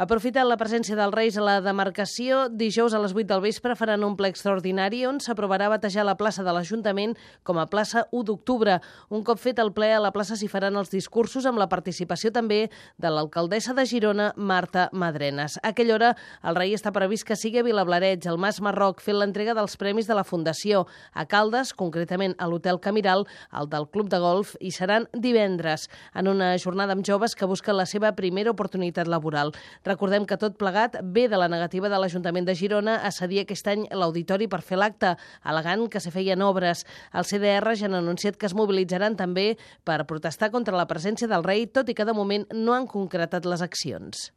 Aprofitant la presència dels Reis a la demarcació, dijous a les 8 del vespre faran un ple extraordinari on s'aprovarà batejar la plaça de l'Ajuntament com a plaça 1 d'octubre. Un cop fet el ple, a la plaça s'hi faran els discursos amb la participació també de l'alcaldessa de Girona, Marta Madrenas. A aquella hora, el rei està previst que sigui a Vilablareix, al Mas Marroc, fent l'entrega dels premis de la Fundació. A Caldes, concretament a l'Hotel Camiral, el del Club de Golf, hi seran divendres, en una jornada amb joves que busquen la seva primera oportunitat laboral. Recordem que tot plegat ve de la negativa de l'Ajuntament de Girona a cedir aquest any l'auditori per fer l'acte, al·legant que se feien obres. El CDR ja han anunciat que es mobilitzaran també per protestar contra la presència del rei, tot i que de moment no han concretat les accions.